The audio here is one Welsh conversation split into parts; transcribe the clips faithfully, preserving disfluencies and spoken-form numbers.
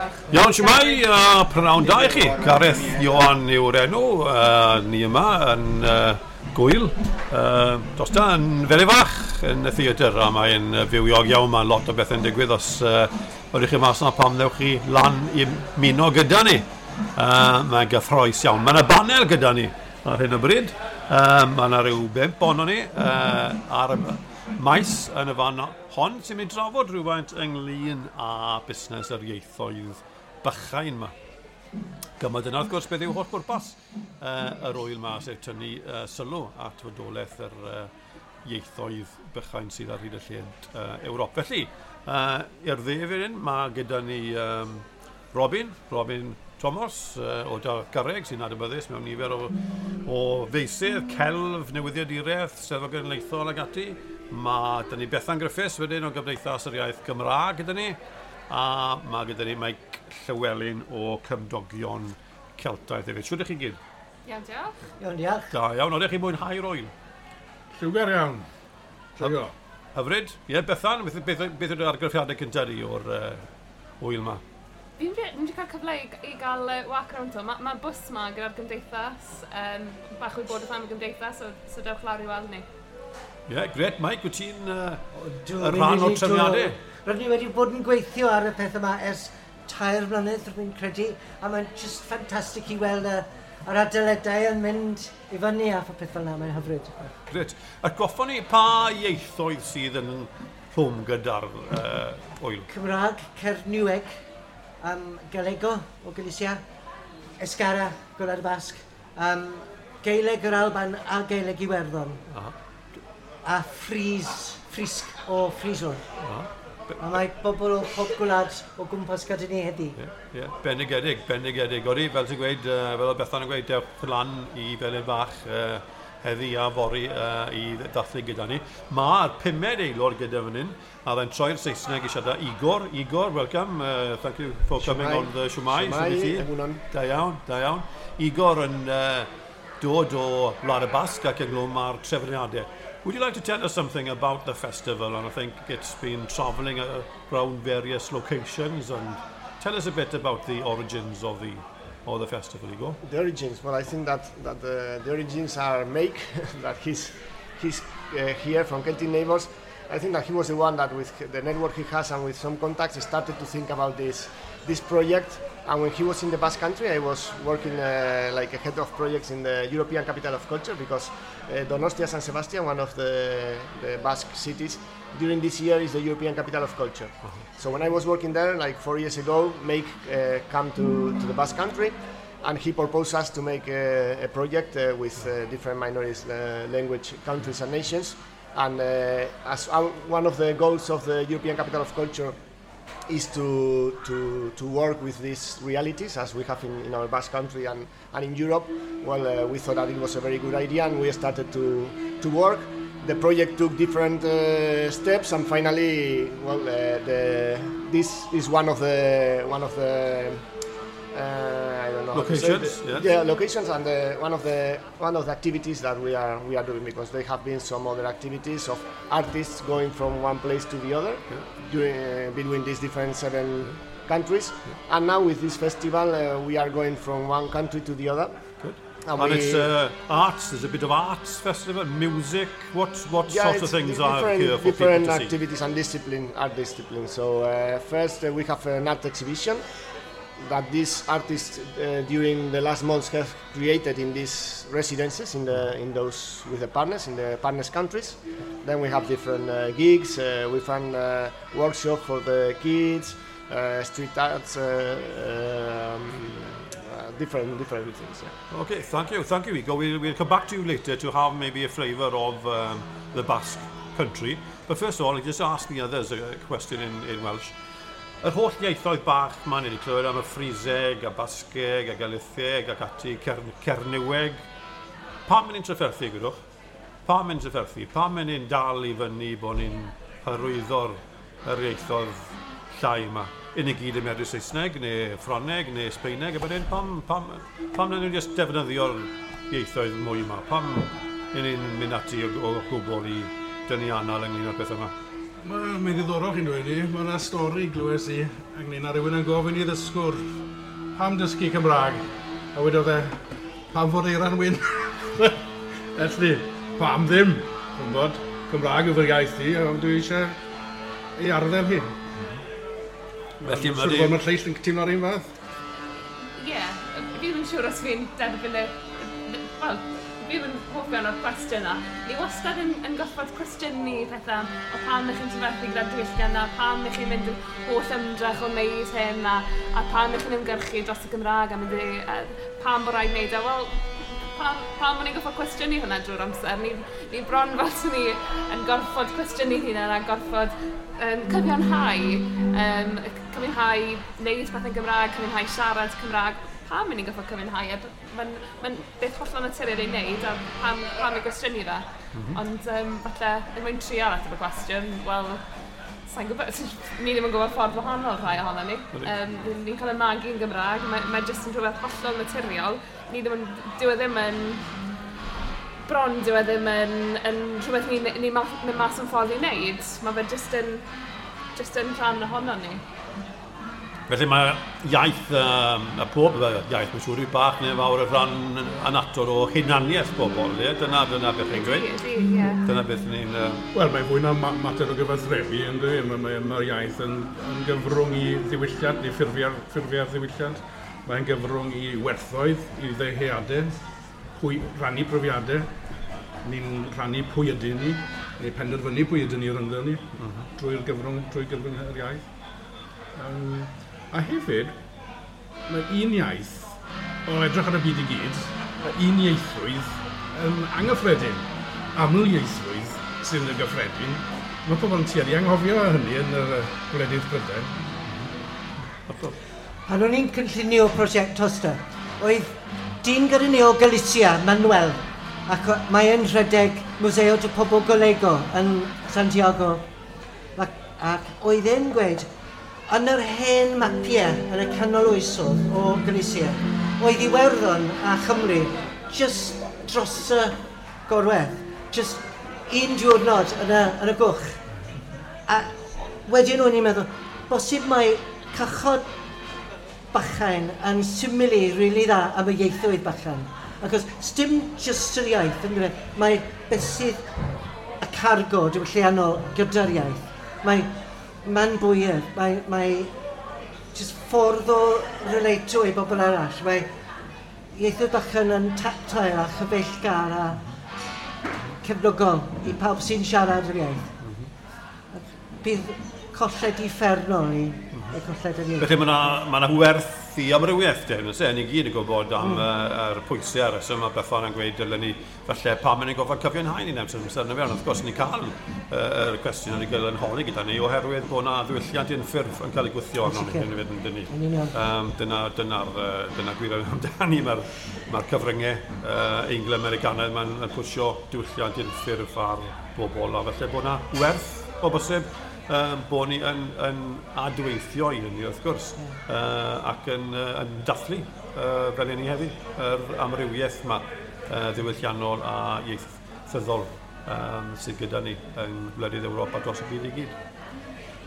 Iawn, shwmae, a prynawn da i chi. Gareth Ioan yw'r enw, uh, ni yma yn uh, gwyl. Uh, dos da yn Felin-fach yn y theatr, a mae'n fywiog iawn, mae lot o bethau'n digwydd os uh, ydych chi mas yna pam ddewch chi lan i ymuno gyda ni. Uh, mae'n gyffrous iawn. Mae yna banel gyda ni ar hyn o bryd. Uh, mae yna rhyw bump ohono ni uh, ar y maes yn y fan hon sy'n mynd i drafod rhywfaint ynglyn â busnes yr ieithoedd bychain yma. Gyma dyna wrth gwrs beth yw holl bwrpas uh, yr ŵyl yma, sef tynnu uh, sylw at fodolaeth yr uh, ieithoedd bychain sydd ar hyd y lled uh, Ewrop. Felly, uh, i'r dde fan hyn, mae gyda ni um, Robin, Robin Thomas uh, o Dalgarreg sy'n adnabyddus mewn nifer o, o feysydd, celf, newyddiaduraeth, Steddfod Genedlaethol ag ati. Mae 'da ni Bethan Griffiths wedyn o Gymdeithas yr Iaith Gymraeg gyda ni, a mae gyda ni Mike Llywelyn o Cymdogion Celtaidd hefyd. Shwd ydych chi gyd? Iawn, diolch. Iawn, diolch. Da iawn, oeddech chi'n mwynhau'r ŵyl? Lliwgar iawn. Joio. Hyfryd. Ie, yeah, Bethan, beth, beth, beth yw'r argraffiadau cyntaf di o'r uh, ŵyl yma? Fi'n wedi cael cyfle i, i gael uh, walk around to. Mae ma bws ma gyda'r gymdeithas, um, bach o wybodaeth am y gymdeithas, so, so dewch lawr i weld ni. Ie, yeah, gret. Mike, wyt ti'n uh, y rhan o'r trefniadau? Rydyn ni wedi bod yn gweithio ar y peth yma ers tair blynedd, rwy'n credu, a mae'n just ffantastig i weld y, yr adeiladau yn mynd i fyny a pheth fel yna, mae'n hyfryd. Gret. Atgoffon ni pa ieithoedd sydd yn rhwm gyda'r uh, ŵyl? Cymraeg, Cernyweg, um, Galego o Galicia, Euskara, Gwlad y Basg, um, Gaeleg yr Alban a Gaeleg Iwerddon. Aha. A Ffris, Ffrisg o Friesland. Aha. A mae bobl o pob gwlad o gwmpas gyda ni heddi. Ie, yeah, yeah. Bendigedig, bendigedig. Odi, fel ti'n gweud, uh, fel oedd Bethan yn gweud, dewch lan i Felin Fach uh, heddi a fory uh, i ddathlu gyda ni. Mae'r pumed aelod gyda fan hyn, a fe'n troi'r Saesneg i siarad Igor. Igor, welcome. Uh, thank you for coming Shwmae. On the Shwmae. Shwmae, Shwd wyt ti? Egunon. Da iawn, da iawn. Igor yn uh, dod o Wlad y Basg ac ynghlwm â'r trefniadau. Would you like to tell us something about the festival? And I think it's been travelling around various locations, and tell us a bit about the origins of the of the festival, Igor. The origins. Well, I think that that the, the origins are Mike, that he's he's uh, here from Celtic Neighbors. I think that he was the one that, with the network he has and with some contacts, started to think about this this project. And when he was in the Basque Country, I was working uh, like a head of projects in the European Capital of Culture, because uh, Donostia San Sebastian, one of the, the Basque cities, during this year is the European Capital of Culture. So when I was working there, like four years ago, Mike uh, come to, to the Basque Country, and he proposed us to make a, a project uh, with uh, different minorities, uh, language countries and nations. And uh, as our, one of the goals of the European Capital of Culture is to, to, to work with these realities as we have in, in our Basque Country and, and in Europe, well, uh, we thought that it was a very good idea, and we started to, to work. The project took different uh, steps, and finally, well, uh, the, this is one of the, one of the uh, I don't know how to say Locations, it. yes. Yeah, locations, and the, one of the one of the activities that we are we are doing, because there have been some other activities of artists going from one place to the other during, uh, between these different seven countries, and now with this festival uh, we are going from one country to the other. Good. And, And we, it's uh, arts, there's a bit of arts festival, music, what, what Yeah, sorts of it's things di- are different, here for people different to see? activities and discipline, art discipline. So uh, first uh, we have an art exhibition that these artists uh, during the last months have created in these residences in the in those with the partners in the partners countries. Then we have different uh, gigs. Uh, we run uh, workshop for the kids, uh, street arts, uh, um, uh, different different things. Yeah. Okay, thank you, thank you, Igor. We'll, we'll come back to you later to have maybe a flavour of um, the Basque country. But first of all, I'll just ask the others a question in, in Welsh. Yr holl ieithoedd bach ma'n ni wedi clywed am y Ffriseg, a Basgeg, a Galitheg, ac ati, Cer Cernyweg. Pam yn ni'n trafferthu, gwydwch? Pam yn trafferthu? Pam yn ni'n dal i fyny bod ni'n hyrwyddo'r yr ieithoedd llai yma? Un i gyd yn medru Saesneg, neu Ffrangeg, neu Sbeineg, a bod pam, pam, pam nawn ni'n just defnyddio'r ieithoedd mwy yma? Pam yn ni'n mynd ati o, o gwbl i dynnu anal ynglyn â'r peth yma? Mae'n ddiddorol chi'n dweud i. Mae yna stori glywes i ynglyn â rhywun yn gofyn i ddysgwr pam dysgu Cymraeg. A wedodd e, pam fod eira'n wyn? Felly, pam ddim? Gwybod, Cymraeg yw fy iaith i, a dwi eisiau ei arddel hi. Felly mae... Siwr bod mae'r lleill yn teimlo'r un fath? Ie, yeah, fi ddim yn siŵr os fi'n derbyn y... Wel, fi ddim yn hoff iawn o'r cwestiwn yna. Ni wastad yn, yn gorfod cwestiynu pethau o pam ych chi'n tyferthu gyda'r diwylliant a pam ych chi'n mynd yn holl ymdrech o wneud hyn a, a pam ych chi'n ymgyrchu dros y Gymraeg a mynd i, a, pam bod rhaid wneud e. Wel, pam, pam o'n i'n gorfod cwestiynu hwnna drwy'r amser? Ni, ni bron fel sy'n ni yn gorfod cwestiynu hynna a gorfod um, cyfiawnhau, um, cyfiawnhau wneud pethau'n Gymraeg, cyfiawnhau siarad Cymraeg. Pam ni'n gorfod cyfiawnhau? Mae'n ma beth hollol naturiol ei wneud a pam, pam ei gwestiynu fe. Mm -hmm. Ond um, falle, er mwyn trial ateb y cwestiwn, wel, sa'n gwybod, ni ddim yn gwybod ffordd wahanol rhai ohono ni. Um, ni'n cael y magu yn Gymraeg, mae, mae jyst yn rhywbeth hollol naturiol. Ni ddim yn, dyw e ddim yn, bron dyw e ddim yn, yn rhywbeth ni'n ni, ni mynd mas yn ffordd i wneud. Mae fe jyst yn, jyst yn rhan ohono ni. Felly mae iaith, um, a pob iaith, mae'n siŵr i bach neu fawr y rhan annatod o hunaniaeth bobl, ie? Dyna, dyna beth chi'n gweud. Ydy, ie. Dyna beth ni'n... Uh... Wel, mae'n fwy na mater o gyfathrebu, ynddi? Mae'r mae, mae iaith yn, yn gyfrwng i ddiwylliant, neu ffurfiau'r ffurfiau'r ddiwylliant. Mae'n gyfrwng i werthoedd, i ddeheadau, pwy, rhannu profiadau. Ni'n rhannu pwy ydyn ni, neu penderfynu pwy ydyn ni rhyngddo ni, mm -hmm. drwy'r gyfrwng, drwy gyfrwng yr iaith. Um, A hefyd, mae un iaith, o edrych ar y byd i gyd, mae un ieithrwydd yn anghyffredin. Aml ieithrwydd sy'n yn gyffredin. Mae pobl yn tueddu anghofio hynny yn yr gwledydd Prydain. Pan o'n i'n cynllunio prosiect Tosta, oedd dyn gyda ni o Galicia, Manuel, ac mae e'n rhedeg Museo de Pobo Galego yn Santiago. Ac, ac oedd e'n gweud, yn yr hen mapiau yn y canol oesodd o Galicia, oedd Iwerddon a Chymru just dros y gorwedd, just un diwrnod yn y, yn y gwch. A wedyn o'n i'n meddwl, bosib mae cychod bychain yn simili rili dda am y ieithoedd bychain. Achos sdim just yr iaith, yn dweud, mae beth sydd y cargo diwylliannol gyda'r iaith. Mae Mae'n bwyr, mae, mae just ffordd o relato i bobl arall. Mae ieithoedd bychan yn tactile a chyfeillgar a cefnogol i pawb sy'n siarad yr iaith. Mm -hmm. Bydd colled uffernol i, mm -hmm. i colled yr iaith. Felly mae yna ma werth i amrywiaeth, de, nes e, ni gyd yn gwybod am mm. uh, yr pwysau a'r reswm a Bethan yn gweud dylen ni, falle pam yn ei gofod cyfiawnhau ni'n amser amser yna fewn. Wrth gwrs, ni'n cael uh, yr cwestiwn yn ei gael yn holi gyda ni oherwydd bod yna ddiwylliant unffurf yn cael ei gwthio arno ni, yn ni. Um, dyna, dyna'r dyna gwir amdani, mae'r mae cyfryngau uh, Eingl-Americanaidd mae'n pwysio diwylliant unffurf ar bobl, a falle bod yna werth o bosib um, bod ni yn, yn adweithio i hynny wrth gwrs, uh, ac yn, uh, yn dathlu uh, fel ni heddi, yr amrywiaeth yma uh, ddiwylliannol a ieithyddol um, sydd gyda ni yng ngwledydd Ewrop a dros y byd i gyd.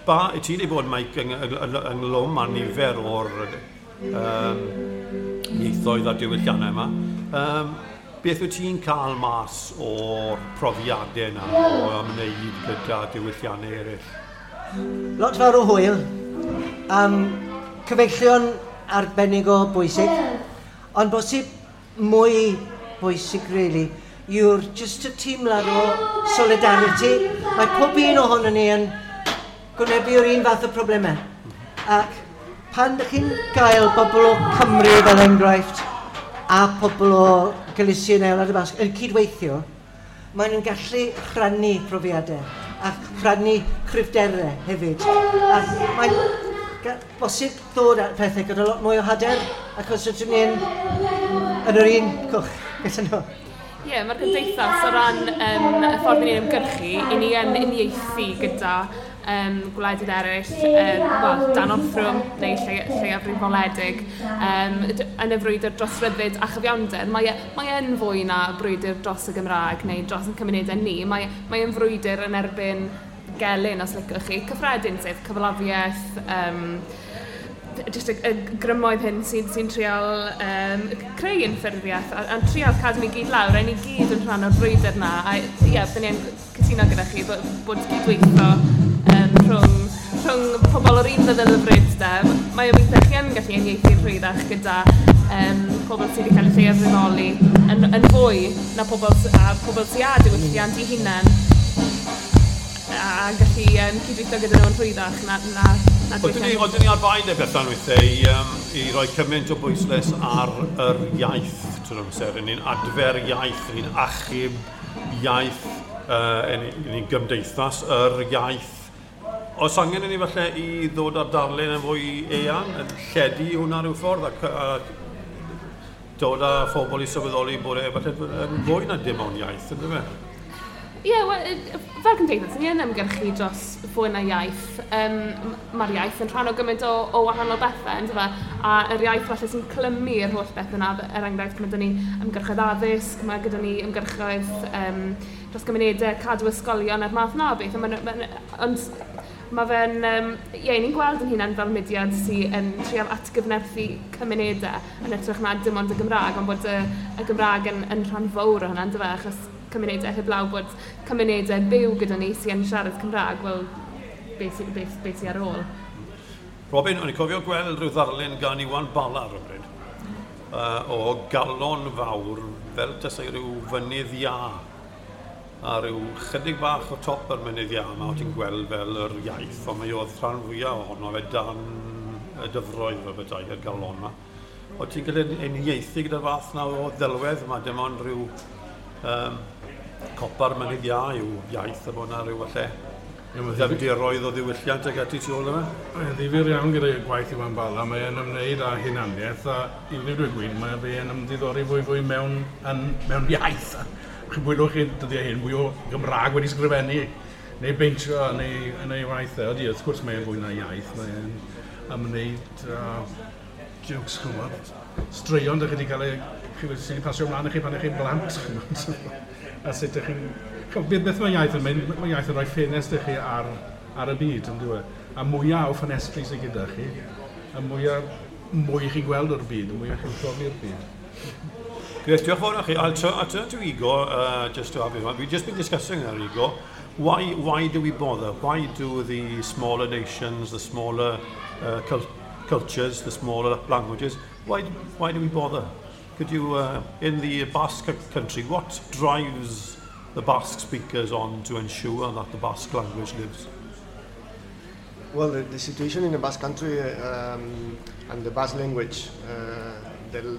Ba, i ti wedi bod, Mike, ynghlwm â nifer o'r um, ieithoedd a diwylliannau yma. Um, beth wyt ti'n cael mas o'r profiadau yna o ymwneud gyda diwylliannau eraill? Lot fawr o hwyl. Um, cyfeillion arbennig o bwysig, ond bosib mwy bwysig, really, yw'r just y teimlad o solidarity. Mae pob un ohono ni yn gwynebu'r un fath o problemau. Ac pan ydych chi'n gael bobl o Cymru fel enghraifft a pobl o Galicia neu Wlad y Basg yn cydweithio, maen nhw'n gallu rhannu profiadau a rhannu cryfderau hefyd. A mae'n bosib ddod at pethau gyda lot mwy o hyder, achos ydyn ni'n yn yr un cwch gyda nhw. Ie, yeah, mae'r gymdeithas o ran um, y ffordd ni'n ymgyrchu, i ni yn uniaethu gyda um, gwledydd eraill, um, well, dan orthrwm neu lle, lleiafrifoledig, um, yn y frwydr dros ryddid a chyfiawnder. Mae, mae yn fwy na brwydr dros y Gymraeg neu dros ein cymunedau ni. Mae, mae yn frwydr yn erbyn gelyn, os licwch chi, cyffredin, sef cyfalafiaeth, um, just y, y grymoedd hyn sy'n sy trial um, creu unffurfiaeth a, a trial cadw ni gyd lawr, a ni gyd yn rhan o'r brwydr na. A ie, yeah, byddwn ni'n cytuno gyda chi bod, bod cydweithio um, rhwng, rhwng pobl o'r un feddylfryd de. Mae o weithiau chi yn gallu uniaethu'n rhwyddach gyda um, pobl sydd wedi cael eu lleiafrifoli yn, yn fwy na pobl, a pobl sydd â diwylliant eu hunain a gallu um, cydweithio gyda nhw'n rhwyddach na, na, na Oedden ni, oedden ni ar bai de Bethan weithiau i, um, i roi cymaint o bwyslais ar yr iaith trwy'r amser. Ni'n adfer iaith, ni'n achub iaith, uh, ni'n gymdeithas yr iaith. Oes angen i ni falle i ddod â'r darlun yn fwy eang, yn lledu hwnna rhyw ffordd, ac, a dod â phobl i sylweddoli bod e falle yn fwy na dim ond iaith, ynddo fe? Ie, yeah, well, fel cymdeithas, ni yn ymgyrchu dros fwy na iaith. Um, Mae'r iaith yn rhan o gymaint o, o wahanol bethau, ynddo fe? A yr iaith falle sy'n clymu'r holl beth yna, er enghraifft, mae gyda ni ymgyrchoedd addysg, mae gyda ni ymgyrchoedd um, dros gymunedau, cadw ysgolion a'r math na o beth. Ma, ma, ond mae fe'n, um, ie, ni'n gweld yn hunan fel mudiad sy'n yn trial atgyfnerthu cymunedau yn hytrach na dim ond y Gymraeg, ond bod y, y Gymraeg yn, yn rhan fawr o hynna, ynddo fe, achos cymunedau heblaw bod cymunedau byw gyda ni sy'n siarad Cymraeg, wel, beth sy, beth, beth sy ar ôl. Robin, o'n i'n cofio gweld rhyw ddarlun gan Iwan Bala rhywbryd, uh, o galon fawr, fel tasai rhyw fynydd iâ, a rhyw chydig bach o top yr mynydd iâ yma, o ti'n gweld fel yr iaith, ond mae oedd rhan fwyaf ohono fe dan y dyfroedd fel bethau, y galon yma. O ti'n cael uniaethu gyda'r fath na o ddelwedd yma, dim ond rhyw um, copa'r mynydd iâ yw iaith a bod yna rhyw falle ddyfnderoedd o ddiwylliant ag ati tu ôl yma. Mae'n ddifyr iawn gyda gwaith Iwan Bala, mae'n ymwneud â hunaniaeth a i ddweud y gwir, mae fe'n ymddiddori fwy fwy mewn, yn, mewn iaith. Chi'n bwylwch chi dyddiau hyn, fwy o Gymraeg wedi sgrifennu neu beintio yn ei, yn ei waith. Ydy, wrth gwrs mae'n fwy na iaith, mae'n ymwneud â jokes, chymod, straeon dych chi wedi cael ei, chi wedi pasio ymlaen i chi pan ych chi'n blant, chymod. A sut ydych chi'n... Beth mae iaith yn mynd, mae iaith yn rhoi ffenest i chi ar, ar y byd, yn dyw e. A mwyaf o ffenestri sydd gyda chi, a mwyaf mwy chi'n gweld o'r byd, y mwyaf chi'n profi'r byd. Great, diolch fawr i chi. I'll turn, I'll turn to Igor, uh, just to have you. We've just been discussing there, Igor. Why, why do we bother? Why do the smaller nations, the smaller uh, cult cultures, the smaller languages, why, why do we bother? Could you, uh, in the Basque country, what drives the Basque speakers on to ensure that the Basque language lives? Well, the, the situation in the Basque country um, and the Basque language, uh, the,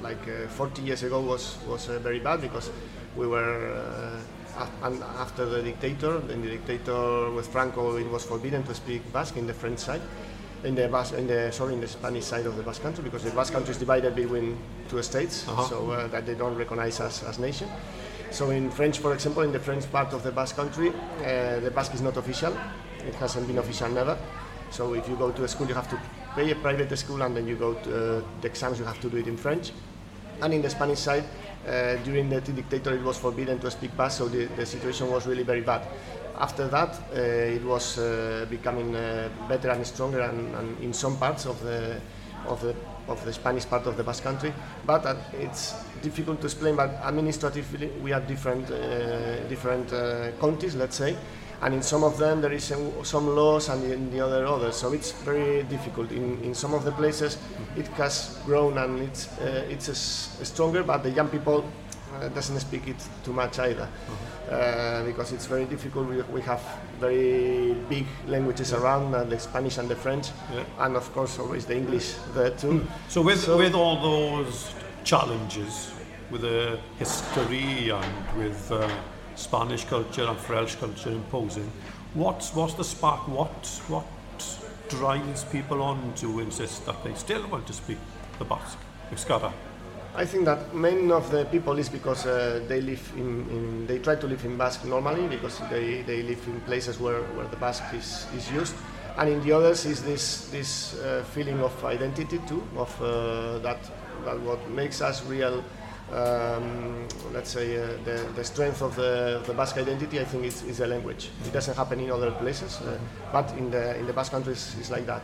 like uh, forty years ago was, was uh, very bad because we were, uh, af and after the dictator, then the dictator with Franco, it was forbidden to speak Basque in the French side. In the Basque, in the sorry, in the Spanish side of the Basque country, because the Basque country is divided between two states, uh-huh. so uh, that they don't recognize as, as nation. So in French, for example, in the French part of the Basque country, uh, the Basque is not official. It hasn't been official never. So if you go to a school, you have to pay a private school, and then you go to uh, the exams, you have to do it in French. And in the Spanish side, uh, during the dictator, it was forbidden to speak Basque, so the, the situation was really very bad. After that, uh, it was uh, becoming uh, better and stronger, and, and in some parts of the of the of the Spanish part of the Basque country. But uh, it's difficult to explain. But administratively, we have different uh, different uh, counties, let's say, and in some of them there is a, some laws, and in the other others. So it's very difficult. In in some of the places, it has grown and it's uh, it's a s stronger, but the young people uh, doesn't speak it too much either. Uh, because it's very difficult. We, we have very big languages yeah. around, uh, the Spanish and the French, yeah. and of course always the English there too. Mm. So with, so with all those challenges, with the history and with uh, Spanish culture and French culture imposing, what's, what's the spark? What, what drives people on to insist that they still want to speak the Basque, Euskara? I think that many of the people is because uh, they live in, in, they try to live in Basque normally because they, they live in places where, where the Basque is, is used, and in the others is this this uh, feeling of identity too, of uh, that that what makes us real um, let's say, uh, the, the strength of the, of the Basque identity, I think, is, is the language. It doesn't happen in other places, uh, but in the, in the Basque countries it's like that.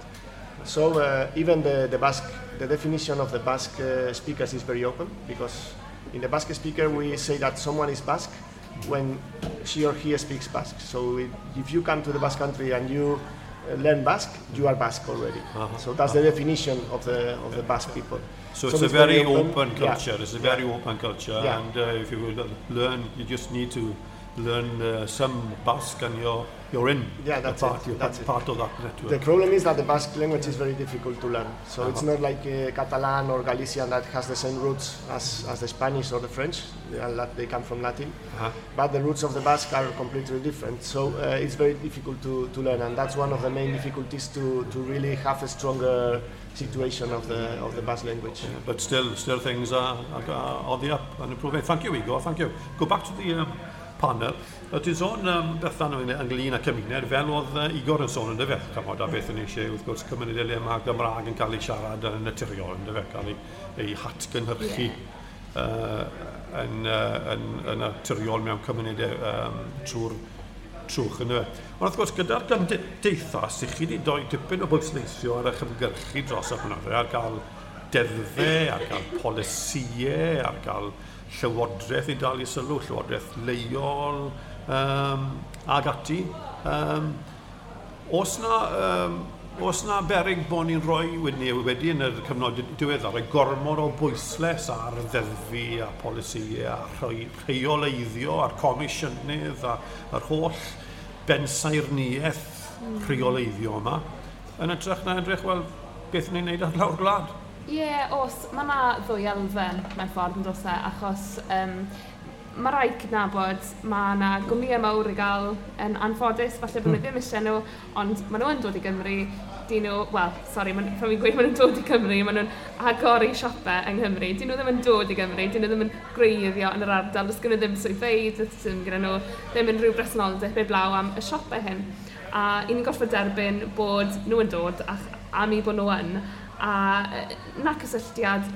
So uh, even the, the Basque, the definition of the Basque uh, speakers is very open, because in the Basque speaker we say that someone is Basque when she or he speaks Basque. So it, if you come to the Basque country and you learn Basque, you are Basque already. Uh-huh. So that's uh-huh. the definition of the of the Basque people. So, so it's, it's a very, very open, open culture. Yeah. It's a very yeah. open culture, yeah. and uh, if you will learn, you just need to learn uh, some Basque, and you're you're in. Yeah, that's part, it. You're that's part, it. part of that network. The problem is that the Basque language is very difficult to learn. So uh-huh. it's not like uh, Catalan or Galician that has the same roots as, as the Spanish or the French. They, are, they come from Latin. Uh-huh. But the roots of the Basque are completely different. So uh, it's very difficult to, to learn, and that's one of the main difficulties to, to really have a stronger situation of the of the Basque language. Yeah, but still, still things are, are, are on the up and improving. Thank you, Igor. Thank you. Go back to the um, panel. Ti'n sôn, um, Bethan, ynglyn â cymuned, fel oedd uh, Igor yn sôn yn dyfe, chymod, a beth yn eisiau, wrth gwrs, cymunedau le mae Gymraeg yn cael ei siarad yn naturiol, yn dyfe, cael ei, ei hatgynhyrchu yeah. uh, yn, uh, yn, yn naturiol mewn cymunedau um, trwy'r trwch, yn dyfe. Ond wrth gwrs, gyda'r gymdeithas, i chi wedi doi dipyn o bwysleisio ar eich ymgyrchu dros y blynyddoedd, ar gael deddfau, ar gael polisïau, ar gael llywodraeth i dal i sylw, llywodraeth leol, um, ag ati. Um, oes na, um, oes na berig bod ni'n rhoi wedi, wedi yn y cyfnod diweddar, rhoi gormod o bwyslais ar ddeddfu a polisïau a rhoi rheoleiddio a'r comisiynydd a, a'r holl bensaernïaeth mm. rheoleiddio yma, yn edrych na edrych, wel, beth ni'n neud ar lawr gwlad? Ie, yeah, os, mae yna ddwy elfen mewn ffordd yn dos e, achos um, mae rhaid cydnabod, mae yna gwmnïau mawr i gael yn anffodus, falle bod nhw ddim eisiau nhw, ond maen nhw yn dod i Gymru, dyn nhw, wel, sori, pan fi'n gweud maen nhw'n dod i Cymru, maen nhw'n agor i siopau yng Nghymru, dyn nhw ddim yn dod i Gymru, dyn nhw ddim yn gwreiddio yn yr ardal, does gen nhw ddim swyddfeydd, does dim gyda nhw ddim unrhyw bresenoldeb heblaw am y siopau hyn. A i ni'n gorfod derbyn bod nhw yn dod, a am i bod nhw yn, a na cysylltiad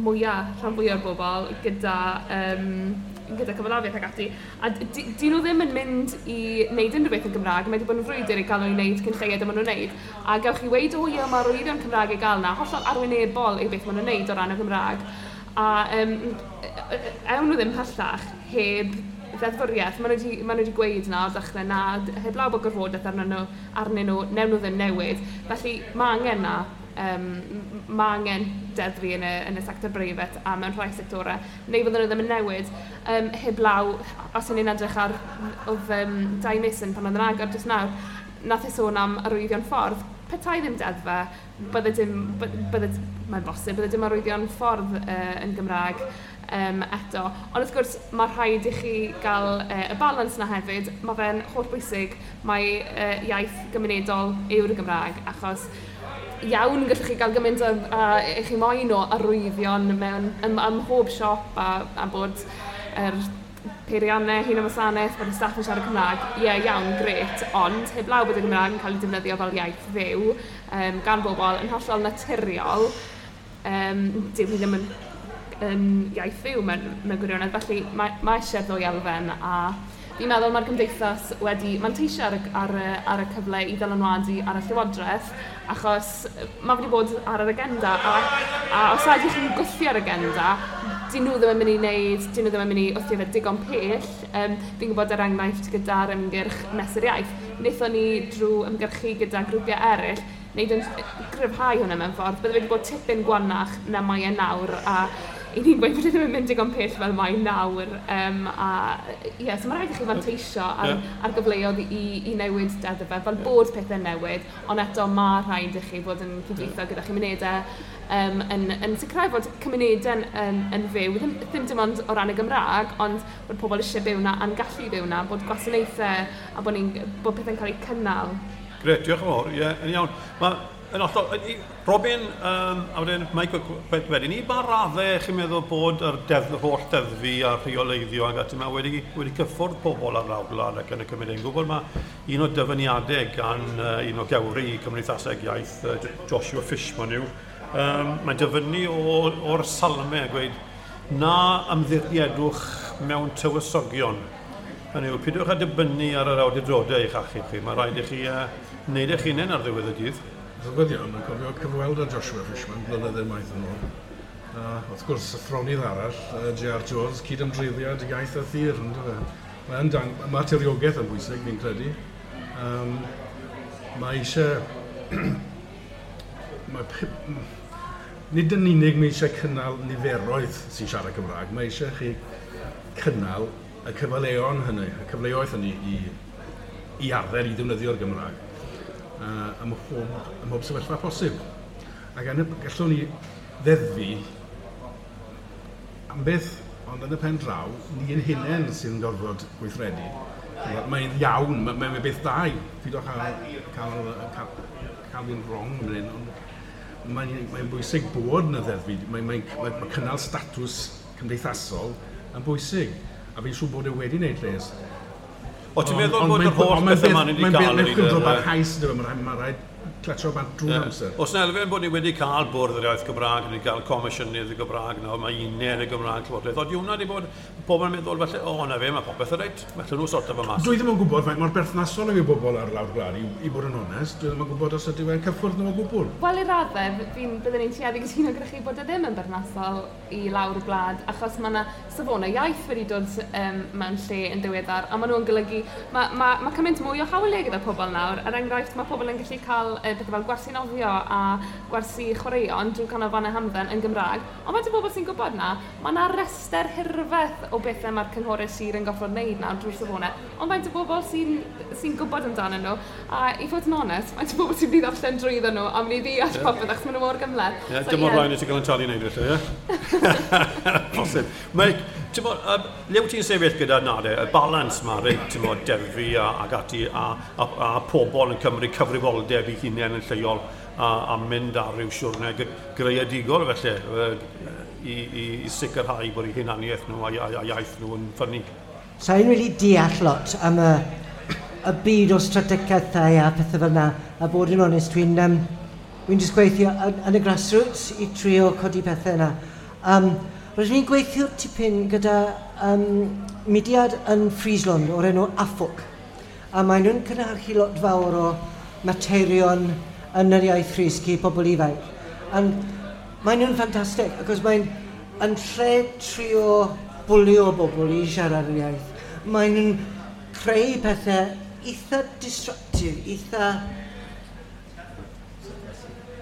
mwyaf, rhan fwyaf o'r bobl gyda, um, gyda cyfalafiaeth ac ati. A dyn nhw ddim yn mynd i wneud unrhyw beth yn Gymraeg, mae wedi bod yn frwydr i gael nhw i wneud cyn lleied a maen nhw'n wneud. A gewch chi weud, o ie, mae'r arwyddion Cymraeg i gael na, hollol arwynebol yw beth maen nhw'n wneud o ran y Gymraeg. A um, ewn nhw ddim pellach heb ddeddfwriaeth. Maen nhw wedi, maen nhw wedi gweud na o'r dechrau na, heblaw bod gorfodaeth arnyn nhw, arnyn nhw, newn nhw ddim newid. Felly mae angen na. Um, mae angen deddfu yn y, yn y sector breifat a mewn rhai sectorau, neu fydden nhw ddim yn newid. Um, heblaw, os ydyn ni'n edrych ar oedd um, Dai Mason pan oedd yn agor jyst nawr, nath e sôn am arwyddion ffordd. Petai ddim deddfe, bydde dim, bydde, mae'n bosib, bydde dim arwyddion ffordd uh, yn Gymraeg um, eto. Ond wrth gwrs, mae rhaid i chi gael uh, y balans na hefyd. Mae fe'n hollbwysig, mae uh, iaith gymunedol yw'r Gymraeg, achos iawn gallwch chi gael gymaint o, a, i chi moyn o arwyddion mewn ym, ym mhob siop a, a bod yr peiriannau hun wasanaeth, bod y staff yn siarad Cymraeg, ie, yeah, iawn, gret, ond heblaw bod y Gymraeg yn cael ei defnyddio fel iaith fyw um, gan bobl yn hollol naturiol, um, dyw hi ddim yn, yn iaith fyw mewn, mewn gwirionedd, felly mae, mae eisiau'r ddwy elfen a fi'n meddwl mae'r gymdeithas wedi manteisio ar y, ar y, ar y cyfle i ddylanwadu ar y llywodraeth, achos mae wedi bod ar yr agenda, a, a os ydych chi'n gwthio'r agenda, dyn nhw ddim yn mynd i wneud, dyn nhw ddim yn mynd i wthio fe digon pell. Um, fi'n gwybod er enghraifft gyda'r ymgyrch Mesur Iaith, wnaethon ni drwy ymgyrchu gyda grwpiau eraill, wneud yn gryfhau hwnna mewn ffordd, bydde wedi bod tipyn gwanach na mae e nawr, a i ni'n gweud bod e ddim yn mynd digon pell fel mae nawr. Um, a ie, yeah, so mae rhaid i chi fanteisio ar, yeah. ar gyfleoedd i, i newid deddfau, fel yeah. bod pethau'n newid, ond eto mae rhaid i chi fod yn cydweithio gyda chymunedau, um, yn, yn sicrhau fod cymunedau'n yn, yn fyw, ddim, ddim dim ond o ran y Gymraeg, ond bod pobl eisiau byw na a'n gallu byw na, bod gwasanaethau a bod, ni'n, bod pethau'n cael eu cynnal. Gret, diolch yn fawr, ie, yeah, yn iawn. Ma, yn hollol, Robin, um, a wedyn Mike wedyn, i ba raddau chi'n meddwl bod yr deddf, holl deddfu a'r rheoleiddio ag ati yma wedi, wedi cyffwrdd pobl ar lawr gwlad ac yn y cymuned? Yn gwybod mae un o dyfyniadau gan uh, un o gewri Cymdeithaseg Iaith, uh, Joshua Fishman yw, um, mae'n dyfynnu o'r salmau a gweud, na ymddiriedwch mewn tywysogion. Hynny yw, pidwch â dibynnu ar yr awdurdodau eich achub chi. Mae rhaid i chi uh, wneud eich hunain ar ddiwedd y dydd. Rhyfedd iawn, yn cofio cyfweld â Joshua Fishman blynyddoedd maith yn ôl. Uh, wrth gwrs, athronydd arall, uh, J R Jones, cydymdreiddiad iaith a thir, yndyfe. Mae'n dang, mae tiriogaeth yn bwysig, fi'n credu. Um, mae eisiau... mae, nid yn unig mae eisiau cynnal niferoedd sy'n siarad Cymraeg, mae eisiau chi cynnal y cyfleon hynny, y cyfleoedd hynny i, i arfer i ddefnyddio'r Gymraeg uh, ym mhob, ym mhob sefyllfa posib. Ac yn y, gallwn ni ddeddfu am beth, ond yn y pen draw, ni ein hunain sy'n gorfod gweithredu. Mae'n iawn, mae'n mae beth da i, pidwch â cael, cael, cael fi'n wrong yn hyn, ond mae'n mae bwysig bod yna ddeddfu, mae'n mae, mae, mae cynnal statws cymdeithasol yn bwysig. A fi'n siŵr bod e wedi wneud lles. O, ti'n meddwl bod yr holl beth yma ni wedi cael yn un? Mae'n barhaus, mae'n rhaid clatsio bant drwy'r amser. Oes 'na elfen bod ni wedi cael bwrdd yr iaith Gymraeg, ni wedi cael comisiynydd y Gymraeg, nawr mae uned y Gymraeg Llywodraeth. Ond hwnna wedi bod pobl yn meddwl falle, o, na fe, mae popeth yn reit, felly nhw sorto fe mas. Dwi ddim yn gwybod faint mor berthnasol yw bobl ar lawr gwlad, i, i bod yn onest. Dwi ddim yn gwybod os ydy e'n cyffwrdd nhw o gwbl. Wel, i raddau, fi'n byddwn ni'n tueddu gytuno gyda chi bod e ddim yn berthnasol i lawr gwlad, achos mae yna safonau iaith wedi dod um, mewn lle yn ddiweddar, a maen nhw'n golygu, mae ma, ma cymaint mwy o hawliau gyda pobl nawr. Er enghraifft, mae pobl yn gallu cael uh, pethau fel gwersi nofio a gwersi chwaraeon drwy canolfannau hamdden yn Gymraeg, ond mae dy bobl sy'n gwybod na, mae yna rester hirfeth o bethau mae'r cynghorau sir yn gorfod wneud nawr drwy'r safonau, ond faint o bobl sy'n sy gwybod amdanyn nhw, a i fod yn onest, faint o bobl sy'n mynd i ddarllen drwyddo nhw a mynd i ddeall yeah. popeth achos maen nhw mor gymhleth. Yeah, so, dim o'r yeah. rhaid i ti gael yn talu wneud felly, ie? Posib. Mae, ti'n bod, uh, le wyt ti'n sefyll gyda Nade, y balans ma, reit, ti'n bod, deddfu a, ac ati, a, a, a pobl yn cymryd cyfrifoldeb i hunain yn lleol a, a mynd ar ryw siwrne greadigol felly i, i, i sicrhau bod eu hunaniaeth nhw a, a, a iaith nhw yn ffynnu. Sa i'n really deall lot am y, y byd o strategaethau a pethau fel yna, a bod yn onest, dwi'n um, dwi'n just gweithio yn, yn y grassroots i trio codi pethau yna. Um, Rydyn ni'n gweithio tipyn gyda um, mudiad yn Friesland o'r enw Afok, a maen nhw'n cynhyrchu lot fawr o materion yn yr iaith Ffrisg i pobl ifanc. And maen nhw'n ffantastig, achos mae'n yn lle trio bwlio bobl i siarad yr iaith. Maen nhw'n creu pethau eitha disruptive, eitha...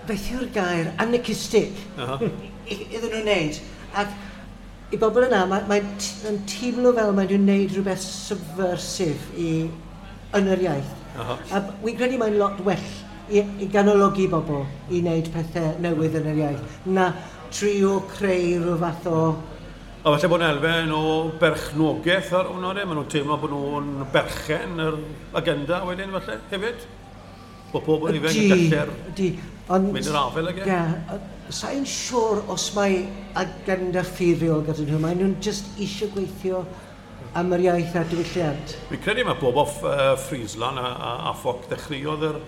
Beth yw'r gair? Anarchistic uh -huh. iddyn nhw'n wneud. Ac i bobl yna, mae'n mae mae teimlo fel maen nhw'n wneud rhywbeth subversive i, yn yr iaith. Uh -huh. A wy'n credu mae'n lot well i, i ganologi bobl i wneud pethau newydd yn yr iaith, na trio creu rhyw fath o... A falle bod yn elfen o berchnogaeth ar hwnna, de? Maen nhw'n teimlo bod nhw'n berchen yr agenda wedyn falle hefyd? Bod pobl ifanc yn gallu'r mynd i'r afael ag e? Ie, sa i'n siŵr os mae agenda ffurfiol gyda nhw, maen nhw'n just eisiau gweithio am yr iaith a diwylliant. Fi'n credu mae bobl uh, Friesland a, a, a Afok ddechreuodd yr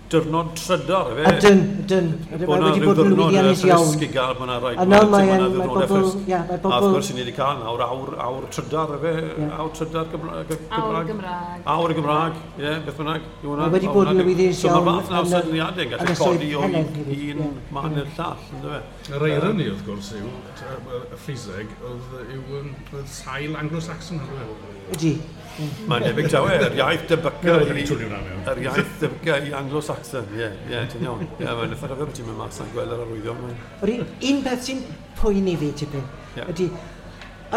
diwrnod trydar, efe? Ydyn, ydyn. Mae wedi bod yn lwyddiannus iawn. Bod 'na rhyw ddiwrnod i gael, mae 'na rai A nawr mae mae bobl, ia, mae bobl... A wrth gwrs, ni wedi cael nawr awr, awr trydar, efe? Awr trydar Gymraeg. Awr Gymraeg. Awr Gymraeg, ie, beth bynnag. Mae wedi bod yn lwyddiannus iawn. So mae'r fath 'na o syniadau yn gallu codi o un man i'r llall, yndyfe? Yr irony, wrth gwrs, yw, y Ffriseg, oedd yw sail Anglo-Saxon. Ydy. Mae'n debyg tawe, yr iaith debyca i... Yr iaith debyca i Anglo-Saxon, ie, ie, ti'n iawn. Ie, mae'n eitha rhyfedd bod ti'n mynd mas a'n gweld yr arwyddion. Yr un peth sy'n poeni fi tipyn, ydy,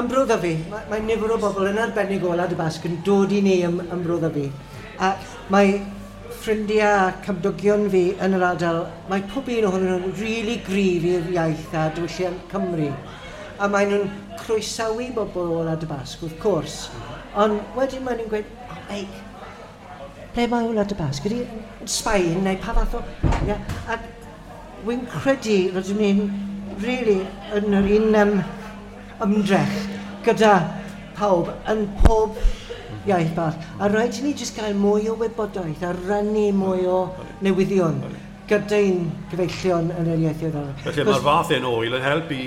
ym Mro Ddyfi, mae, mae nifer o bobl yn arbennig o Wlad y Basg yn dod i ni ym, ym Mro Ddyfi. A mae ffrindiau a cymdogion fi yn yr ardal, mae pob un ohonyn nhw'n rili gryf i'r iaith a diwylliant Cymru. A maen nhw'n croesawu bobl o Wlad y Basg, wrth gwrs. Ond wedyn maen nhw'n gweud, oh, ei, ble mae Wlad y Basg? Ydy yn Sbaen neu pa fath o... Yeah. A wy'n credu rydyn ni'n really yn yr un um, ymdrech gyda pawb yn pob iaith bach. A rhaid i ni jyst gael mwy o wybodaeth a rannu mwy o newyddion gyda'n gyfeillion yn yr ieithoedd arall. Felly mae'r fath un o ŵyl yn help i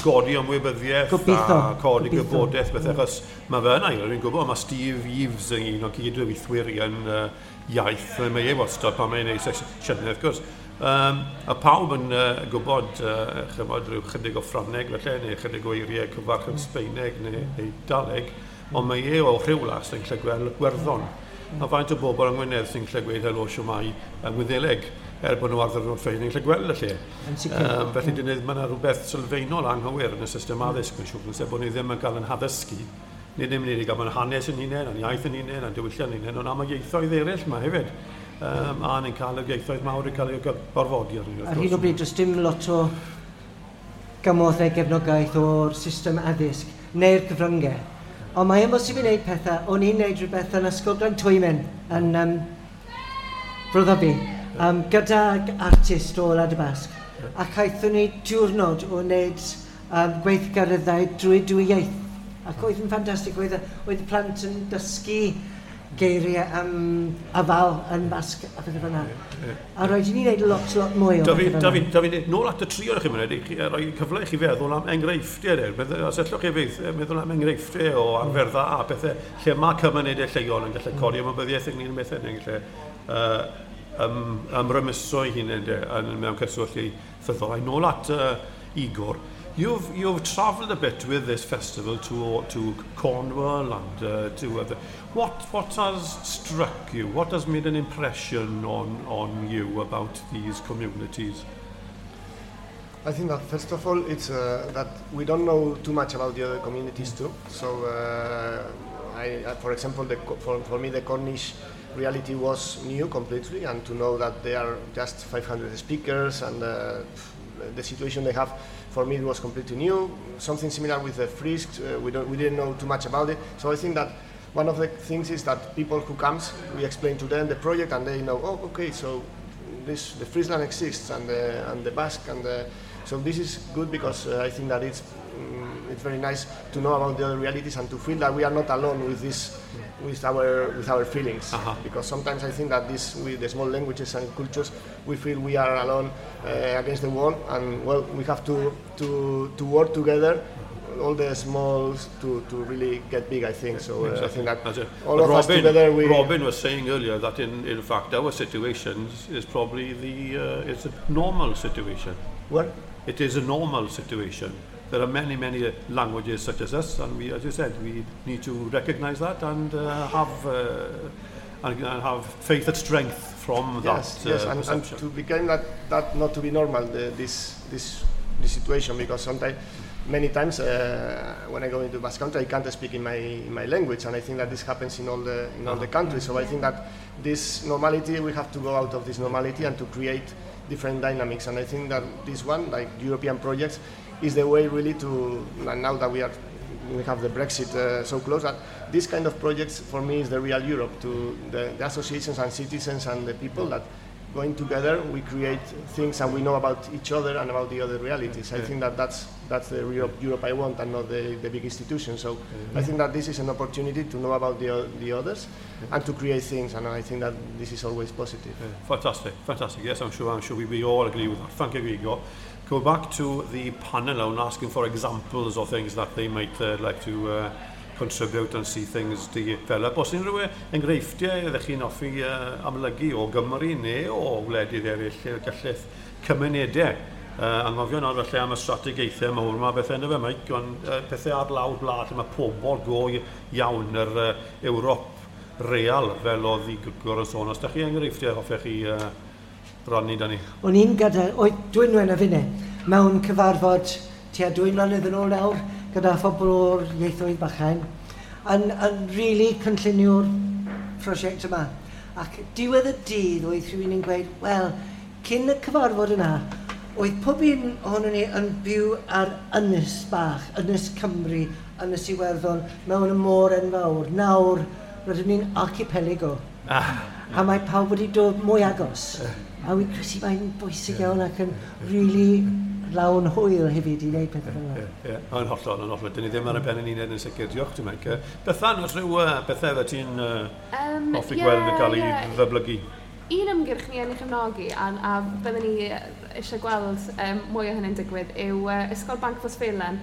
godi ymwybyddiaeth Gobeithio, a codi gobeithio. gwybodaeth beth achos mae fe yna, dwi'n gwybod, mae Steve Eaves yn un o gydweithwyr i yn uh, iaith, mae e wastad pan mae'n ei sesiynau, wrth gwrs. Um, a pawb yn uh, gwybod uh, chymod, rhyw chydig o Ffrangeg felly, neu chydig o eiriau cyfarch yn Sbeineg neu Eidaleg, ond mae e o Rhiwlas yn gallu gweld Gwerddon. A faint o bobl yng Ngwynedd sy'n gallu gweud helo siwmai yng Ngwyddeleg, er bod nhw ar ddiwrnod ffein yn gallu gweld y lle. Yn sicr. Um, felly mm. mae yna rhywbeth sylfaenol anghywir yn y system addysg, mae'n siŵr, sef bod ni ddim yn cael yn haddysgu. Nid ddim yn unig am yn hanes yn hunain, a'n iaith yn hunain, a'n diwylliant yn hunain, ond am y ieithoedd eraill yma hefyd. Um, a ni'n cael y ieithoedd mawr yn cael eu gorfodi arnyn ni. Ar hyn o bryd, does dim lot o gymorth neu gefnogaeth o'r system addysg neu'r cyfryngau. Ond mae e'n bosib i wneud pethau. O'n i'n wneud rhywbeth yn Ysgol Glantwymyn yn um, Bro Ddyfi, um, gydag artist o Wlad y Basg. Ac aethon ni diwrnod o wneud um, gweithgareddau drwy dwy iaith. Ac oedd yn ffantastig, oedd, y- oedd y plant yn dysgu geiriau am afal yn Basg a pethau fel yna. A roedd i ni wneud lot, lot mwy o Da fi, pethau fel da yna. fi, da fi, nôl at y tri o'r chi'n mynd, i roi cyfle i chi feddwl am enghreifftiau. De. Meddwl- Os allwch chi fydd, meddwl am enghreifftiau o arfer dda a pethau lle mae cymunedau lleol yn gallu codi ymwybyddiaeth ynglyn â bethau, neu'n gallu uh, ym, ymrymuso eu hunain de, yn, mewn cyswllt ieithyddol. A nôl at uh, Igor. You've, you've travelled a bit with this festival to, to Cornwall and uh, to other... What, what has struck you? What has made an impression on, on you about these communities? I think that first of all, it's uh, that we don't know too much about the other communities too. So, uh, I, I, for example, the, Co- for, for me, the Cornish reality was new completely, and to know that they are just five hundred speakers and uh, the situation they have, for me, it was completely new. Something similar with the Frisks, uh, we, don't, we didn't know too much about it. So I think that one of the things is that people who comes, we explain to them the project, and they know, oh, okay, so this the Friesland exists and the and the Basque and the, so this is good because uh, I think that it's mm, it's very nice to know about the other realities and to feel that we are not alone with this with our with our feelings Uh-huh. because sometimes I think that this with the small languages and cultures, we feel we are alone uh, against the world, and well, we have to to to work together, all the smalls, to, to really get big, I think. So uh, I think that That's it. all But of us Robin, together we Robin was saying earlier that in, in fact our situation is probably the uh, it's a normal situation. Where? It is a normal situation. There are many, many languages such as us, and we, as you said, we need to recognise that and uh, have uh, and, and have faith and strength from that Yes, yes, uh, and, and perception. to become that, that not to be normal, the, this this this situation, because sometimes, many times uh, when I go into Basque Country, I can't speak in my in my language, and I think that this happens in all the in all the countries. So I think that this normality, we have to go out of this normality and to create different dynamics. And I think that this one, like European projects, is the way really to. And now that we are we have the Brexit uh, so close, that this kind of projects for me is the real Europe, to the, the associations and citizens and the people that going together we create things and we know about each other and about the other realities. I Yeah. think that that's, that's the Europe, Europe I want and not the, the big institutions. So I think that this is an opportunity to know about the, o- the others and to create things, and I think that this is always positive. Yeah, fantastic, fantastic. Yes, I'm sure, I'm sure we, we all agree with that. Thank you, Igor. Go back to the panel now and asking for examples of things that they might uh, like to uh, contribute and see things develop. Os unrhyw enghreifftiau ydych chi'n hoffi uh, amlygu o Gymru neu o wledydd eraill lle galleth cymunedau uh, anghofio nawr felly am y strategaethau mawr yma bethau yna fe, Mike, ond uh, pethau ar lawr gwlad lle mae pobl go iawn yr uh, Ewrop real fel oedd Igor yn sôn. Os da chi enghreifftiau hoffech chi uh, rannu da ni? O'n i'n gyda, oedd Dwynwen a finne, mewn cyfarfod tua dwy mlynedd yn ôl nawr, gyda phobl o'r ieithoedd bychain, yn, yn really cynllunio'r prosiect yma. Ac diwedd y dydd oedd rhywun yn gweud, wel, cyn y cyfarfod yna, oedd pob un ohonon ni yn byw ar ynys bach, Ynys Cymru, Ynys Iwerddon, mewn y môr enfawr. Nawr, rydyn ni'n archipelago. Ah. A mae pawb wedi dod mwy agos. A wy'n credu mae'n bwysig iawn ac yn really lawn hwyl hefyd i wneud pethau fel yna. Ie, ie, yn hollol, yn hollol. Dyn ni ddim ar y ben yn unig yn sicr. Diolch ti'n Mike. Bethan, os rhyw uh, bethau fydde ti'n uh, Um, hoffi ie, gweld yn cael ei ie. ddyblygu? Un ymgyrch ni yn ei chefnogi, a, a byddwn ni eisiau gweld um, mwy o hynny'n digwydd, yw uh, Ysgol Banc Rhosfelen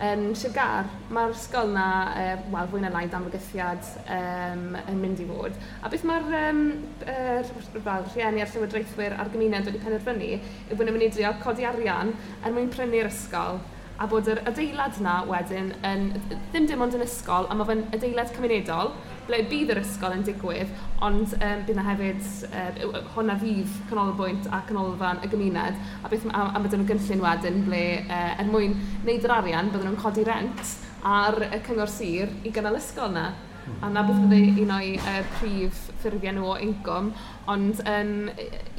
yn Sir Gâr. Mae'r ysgol na, uh, wel, fwy na lai dan fygythiad um, yn mynd i fod. A beth mae'r um, uh, fel, rhieni a'r llywodraethwyr a'r gymuned wedi penderfynu yw bod nhw'n mynd i drio codi arian er mwyn prynu'r ysgol a bod yr adeilad na wedyn yn, ddim dim ond yn ysgol, a mae fe'n adeilad cymunedol, ble bydd yr ysgol yn digwydd, ond um, bydd na hefyd, uh, hwnna fydd canolbwynt a canolfan y gymuned, a, beth, a, a mae nhw'n gynllun wedyn ble uh, er mwyn wneud yr arian, bydden nhw'n codi rent ar y cyngor sir i gynnal ysgol na. A na beth fydde un o'i uh, prif ffurfiau nhw o incwm, ond um,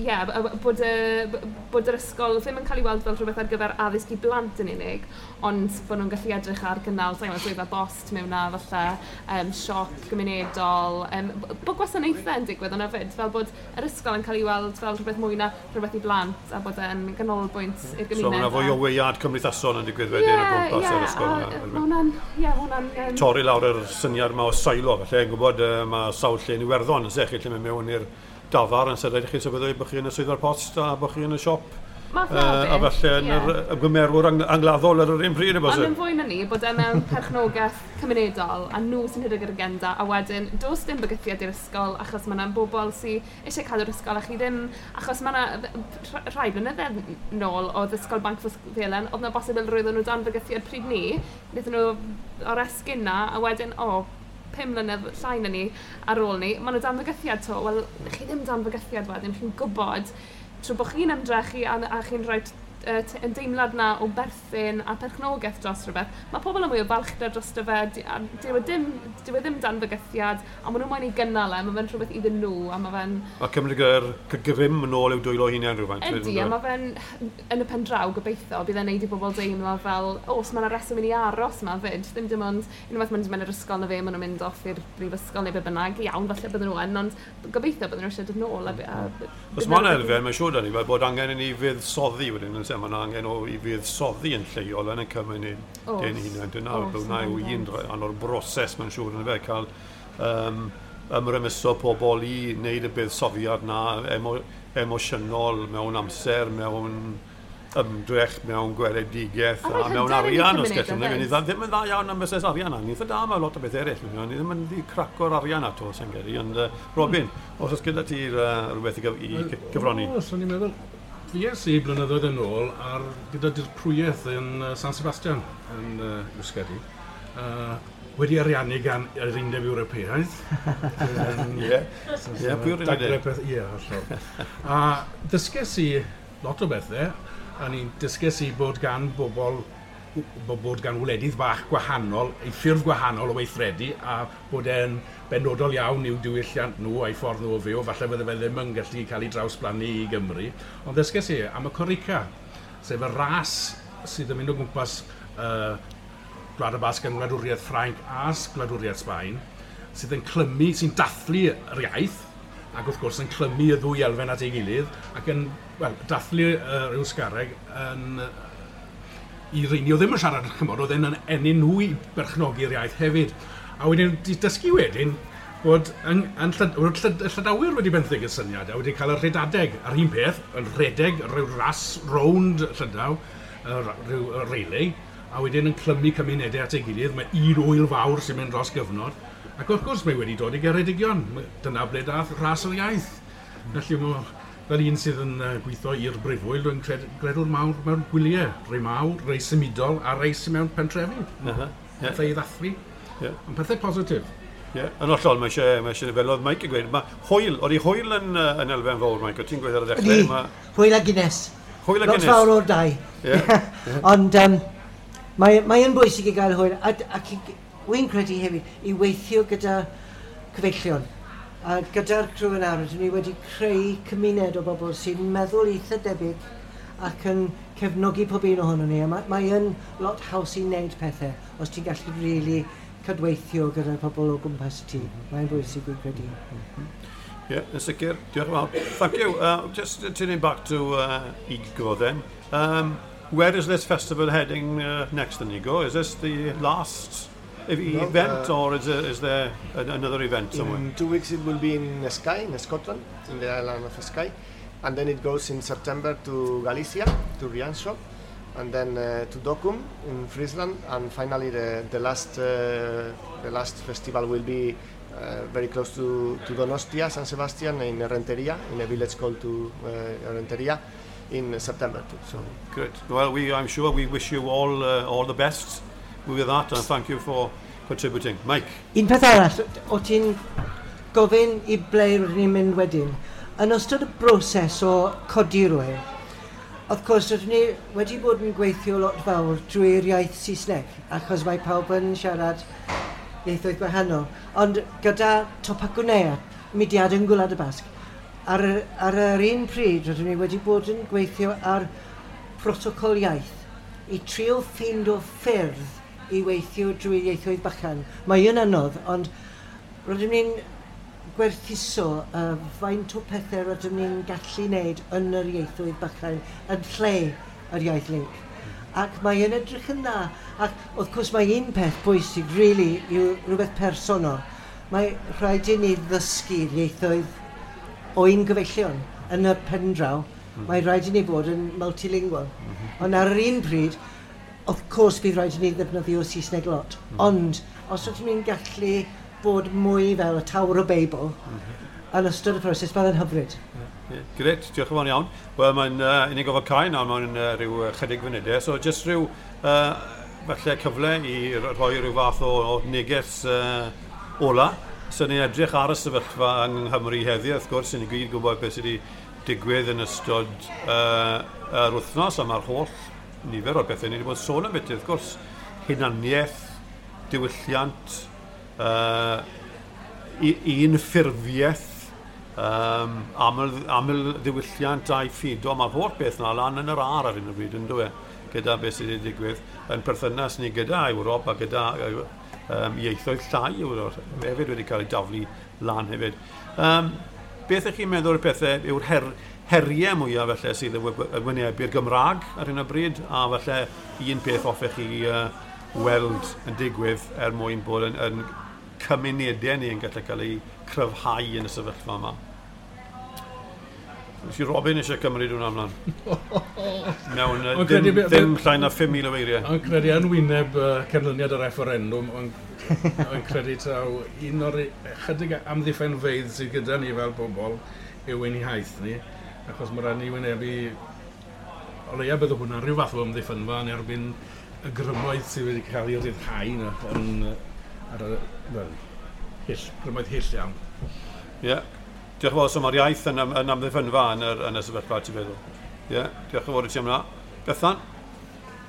yeah, bod, y, bod yr ysgol ddim yn cael ei weld fel rhywbeth ar gyfer addysg i blant yn unig, ond bod nhw'n gallu edrych ar gynnal sa'n gwybod, swyddfa bost mewn na, falle um, siop gymunedol, um, bod gwasanaethau yn digwydd ond hefyd, fel bod yr ysgol yn cael ei weld fel rhywbeth mwy na rhywbeth i blant, a bod e'n ganolbwynt i'r gymuned. So mae yna fwy o weiad cymdeithasol yn digwydd wedyn o gwmpas yr ysgol yna. Mae hwnna'n, ie, hwnna'n... Um, Torri lawr yr syniad yma o silo, felly, yn gwybod uh, mae sawl lle yn Iwerddon, yn sech, lle mynd mewn i'r dafarn yn sefyll chi sefydlu bod chi yn y swyddfa'r post a bod chi yn y siop. Math uh, a falle yn ie. yr ymgymerwr ang angladdol ar yr un pryd, Ond yn fwy na ni, bod e mewn perchnogaeth cymunedol a nhw sy'n rhedeg yr agenda, a wedyn does dim bygythiad i'r ysgol achos mae yna bobl sydd eisiau cadw'r ysgol a chi ddim, achos mae yna rhai blynyddoedd nôl oedd Ysgol Banc Felen, oedd yna bosibilrwydd nhw dan bygythiad pryd ni, wnaethon nhw oresgyn na, a wedyn, o, oh, pum mlynedd llai na ni ar ôl ni, maen nhw dan fygythiad to. Wel, chi ddim dan fygythiad wedyn, chi'n gwybod trwy bod chi'n ymdrechu a, a chi'n rhoi uh, yn deimlad na o berthyn a perchnogaeth dros rhywbeth, mae pobl yn mwy o balchder dros fe, a dyw e ddim, dyw e ddim dan fygythiad, a maen nhw'n moyn ei gynnal e, mae fe'n rhywbeth iddyn nhw, a mae fe'n... A cymryd yr grym yn ôl i'w dwylo hunain rhywfaint. Ydy, a mae fe'n, yn y pen draw, gobeithio, bydd e'n neud i bobl deimlo fel, o, os mae yna reswm i ni aros yma fyd, ddim dim ond, unwaith maen nhw'n mynd i'r ysgol na fe, maen nhw'n mynd off i'r brifysgol neu be bynnag, iawn, falle bydden nhw yn, ond gobeithio bydden nhw eisiau dod nôl. A, a, Os mae'n elfen, mae'n siŵr da ni, fel bod angen i ni fuddsoddi wedyn, yn mae yna angen o i fuddsoddi yn lleol yn y cymuned ein hunain. Dyna hwnna yw un rhan o'r broses, mae'n siŵr, yn fe, cael um, ymrymuso pobl i wneud y buddsoddiad na emo, emosiynol mewn amser, mewn ymdrech, mewn gweledigaeth a, a mewn arian, os gallwn. Ni ddim yn dda iawn am busnes arian, ni eitha da mewn lot o beth eraill. Ni ddim yn cracio'r arian ato, sy'n geri. Ond uh, Robin, os oes gyda ti uh, rhywbeth i, gyf i gyfrannu? O, so ni'n meddwl, fues i blynyddoedd yn ôl ar, gyda dirprwyaeth yn uh, San Sebastian yn uh, Euskadi. Uh, wedi ariannu gan yr Undeb Ewropeaidd. Ie, ie, pwy o'r undeb? Ie, hollol. A ddysges i lot o bethau, a ni'n dysges i bod gan bobl, bod gan wledydd bach gwahanol, ei ffyrdd gwahanol o weithredu, a bod e'n benodol iawn i'w diwylliant nhw a'i ffordd nhw o fyw, falle fydde fe ddim yn gallu cael ei drawsblannu i Gymru. Ond ddysges i am y Korrika, sef y ras sydd yn mynd o gwmpas uh, Gwlad y Basg yn Gwladwriaeth Ffrainc a Gwladwriaeth Sbaen, sydd yn clymu, sy'n dathlu yr iaith, ac wrth gwrs yn clymu y ddwy elfen at ei gilydd, ac yn, wel, dathlu yr uh, Euskareg yn, uh, i reini o ddim yn siarad, chymod, oedd e'n ennyn nhw i berchnogi'r iaith hefyd. A wedyn, dysgu wedyn bod yn, yn llyd, bod llyd, Llydawyr wedi benthyg y syniad, a wedi cael y rhedadeg, a'r un peth, yn rhedeg rhyw ras rownd Llydaw, rhyw relay, a wedyn yn clymu cymunedau at ei gilydd, mae un wyl fawr sy'n mynd dros gyfnod, ac wrth gwrs mae wedi dod i Geredigion, dyna ble dath ras o'r iaith. Felly mae, fel un sydd yn gweithio i'r brifwyl, dwi'n cred, gredwr mawr mewn gwyliau, rei mawr, rei symudol a rei sy'n mewn pentrefi. Uh -huh. yeah. Pethau i ddathlu, yeah. Ond pethau positif. Ie, yeah. Yn hollol, mae eisiau, mae eisiau, fel oedd Mike yn gweud, mae hwyl, oedd hi hwyl yn, yn elfen fawr, Mike, o ti'n gweud ar y dechrau? Ydy, ma... hwyl a Guinness. Hwyl a Guinness. Lot fawr o'r dau. Yeah. yeah. Ond um, mae, mae yn bwysig i gael hwyl, a, ac wy'n credu hefyd i weithio gyda cyfeillion. A gyda'r criw yn awr, rydyn ni wedi creu cymuned o bobl sy'n meddwl eitha debyg ac yn cefnogi pob un ohono ni. A mae, mae yn lot haws i wneud pethau os ti'n gallu really cydweithio gyda'r pobl o gwmpas ti. Mae'n bwysig dwi'n credu. Ie, yeah, yn sicr. Diolch yn fawr. Thank you. Uh, just turning back to uh, Igo then. Um, where is this festival heading uh, next then, Igo? Is this the last event, No, uh, or is there, is there an, another event somewhere? In two weeks it will be in Skye, in Scotland, in the island of Skye, and then it goes in September to Galicia, to Rianxo, and then uh, to Dokkum in Friesland, and finally the, the last uh, the last festival will be uh, very close to, to Donostia, San Sebastian, in Errenteria, in a village called to uh, Errenteria, in September too. So Good. Well, we, I'm sure we wish you all uh, all the best with that, and thank you for contributing. Mike? Un peth arall, o ti'n gofyn i ble rydyn ni'n mynd wedyn. Yn ystod y broses o codi'r ŵyl, of course, rydyn ni wedi bod yn gweithio lot fawr drwy'r iaith Saesneg, achos mae pawb yn siarad ieithoedd gwahanol. Ond gyda Topagunea, mudiad yn Gwlad y Basg, ar, y- ar yr un pryd rydyn ni wedi bod yn gweithio ar protocol iaith i trio ffeindo ffyrdd i weithio drwy ieithoedd bychan. Mae yn anodd, ond rydym ni'n gwerthuso uh, faint o pethau rydym ni'n gallu wneud yn yr ieithoedd bychan yn lle yr iaith link. Ac mae yn edrych yn dda. Ac wrth gwrs mae un peth bwysig, really, yw rhywbeth personol. Mae rhaid i ni ddysgu'r ieithoedd o un gyfeillion yn y pen draw. Mm. Mae rhaid i ni fod yn multilingual. Mm -hmm. Ond ar yr un pryd, of course bydd rhaid i ni ddefnyddio Saesneg lot. Mm. Ond os ydym ni'n gallu bod mwy fel y Tower o Babel mm -hmm. yn ystod y proses, bydd yn hyfryd. Yeah, Grêt, diolch yn fawr iawn. Wel, mae'n uh, unig gofod cael nawr mewn uh, rhyw uh, chydig funudau, so just rhyw uh, falle cyfle i rhoi rhyw fath o, o neges uh, ola. So ni'n edrych ar y sefyllfa yng Nghymru heddiw, wrth gwrs, ni'n gyd gwybod beth sydd wedi digwydd yn ystod uh, yr wythnos, a mae'r holl nifer o'r bethau ni wedi bod yn sôn am beth, wrth gwrs, hunaniaeth, diwylliant, uh, un ffurfiaeth, um, aml, aml ddiwylliant a'i ffido, mae'r holl beth yna lan yn yr aer ar hyn o bryd, yn dwi, gyda beth sydd wedi digwydd yn perthynas ni gyda Ewrop a gyda um, ieithoedd llai Ewrop hefyd wedi cael ei daflu lan hefyd. Um, beth ych chi'n meddwl o'r pethau yw'r her, heriau mwyaf felly sydd yn wynebu'r Gymraeg ar hyn o bryd, a falle un peth hoffech chi uh, weld yn digwydd er mwyn bod yn, yn cymunedau ni yn gallu cael eu cryfhau yn y sefyllfa yma. Nes i Robin eisiau cymryd hwnna ymlaen. Mewn uh, Ond ddim, credu be- ddim llai na pum mil o eiriau. Ond credu yn wyneb uh, canlyniad y referendwm, ond ond credu taw un o'r chydig amddiffynfeydd sydd gyda ni fel bobl yw ein iaith ni, achos mae rhaid ni wynebu, o leia bydd hwnna'n rhyw fath o amddiffynfa yn erbyn y grymoedd sydd wedi cael ei ryddhau na, yn, yy, ar y, wel, hyll, grymoedd hyll iawn. Ie. Yeah. Diolch yn fawr, so mae'r iaith yn, yn amddiffynfa yn, yr, yn y sefyllfa, ti'n feddwl. Ie, yeah. Diolch yn fawr i ti am hwnna. Bethan?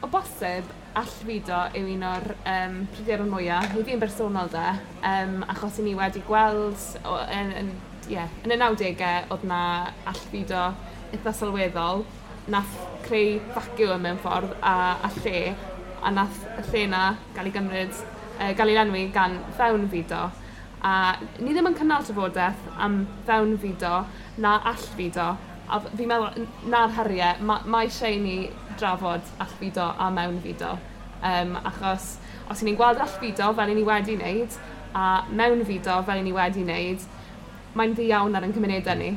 O bosib, allfudo yw un o'r um, pryderon mwyaf, i fi yn bersonol de, um, achos i ni wedi gweld, o, yn, yn, yeah, yn y nawdegau oedd na allfudo eitha sylweddol, nath creu vacuum mewn ffordd a, a lle, a nath y lle na gael ei gymryd, uh, gael ei lenwi gan fewnfudo. A ni ddim yn cynnal trafodaeth am fewnfudo na allfudo. A fi'n meddwl, na'r heriau, ma, mae eisiau i ni drafod allfudo a mewnfudo. Um, achos os 'y ni'n gweld allfudo fel 'y ni wedi wneud, a mewnfudo fel 'y ni wedi wneud, mae'n ddu iawn ar ein cymunedau ni.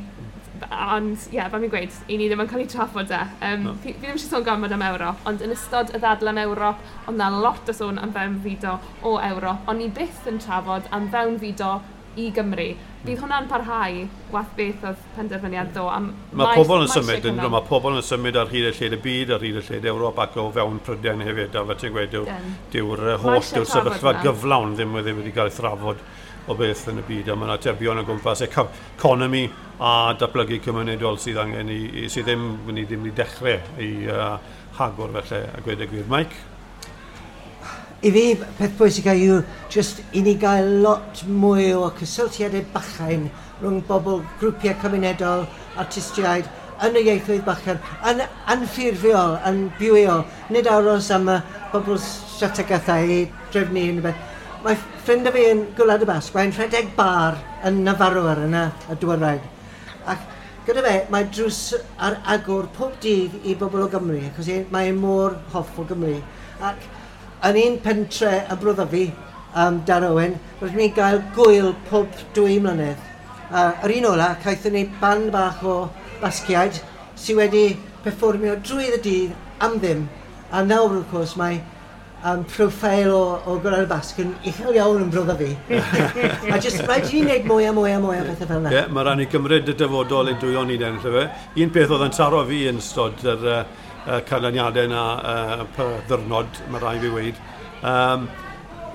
Ond, ie, yeah, fel fi'n gweud, i ni ddim yn cael ei trafod e. Um, No. fi, fi ddim eisiau sôn gormod am Ewrop, ond yn ystod y ddadl am Ewrop, oedd na lot o sôn am fewnfudo o Ewrop, ond ni byth yn trafod am fewnfudo i Gymru. Bydd hwnna'n parhau, wath beth oedd penderfyniad ddo. Am Mae pobl yn mae symud, eisiau yn, cynnal. mae pobl yn symud ar hyd y lled y byd, ar hyd y lled Ewrop ac o fewn Prydain hefyd, a fel ti'n gweud, dyw'r Dyn. dyw'r uh, Mae holl, eisiau dyw'r trafod sefyllfa hwnna. gyflawn ddim wedi wedi cael ei thrafod o beth yn y byd, a mae yna atebion o gwmpas economi a datblygu cymunedol sydd angen i, i sydd ddim, ni ddim wedi dechrau i uh, hagor felly, a gweud y gwir. Mike? I fi, peth pwysig yw just i ni gael lot mwy o cysylltiadau bychain rhwng bobl, grwpiau cymunedol, artistiaid, yn y ieithoedd bychan, yn anffurfiol, yn bywiol, nid aros am y bobl strategaethau i drefnu unrhyw beth. Mae ffrind o fi yn Gwlad y Basg, mae'n rhedeg bar yn Nafarroa yn y, y Dwyrain. Ac gyda fe, mae drws ar agor pob dydd i bobl o Gymru, achos e- mae e mor hoff o Gymru. Ac yn un pentre y Bro Ddyfi, um, Darowen, rydyn ni'n gael gwyl pob dwy mlynedd. Uh, yr un ola, caethon ni band bach o Basgiaid sydd wedi perfformio drwy y dydd am ddim. A nawr, wrth gwrs, mae um, profil o, o Gwlad y Basg yn uchel iawn yn bro fi. A jyst rhaid i ni wneud mwy a mwy a mwy o bethau fel yna. Ie, yeah, mae rhaid ni gymryd y dyfodol i'n dwylo ni den, lle fe. Un peth oedd yn taro fi yn ystod yr uh, uh, canlyniadau yna uh, per ddyrnod, mae rhaid fi weud. Um,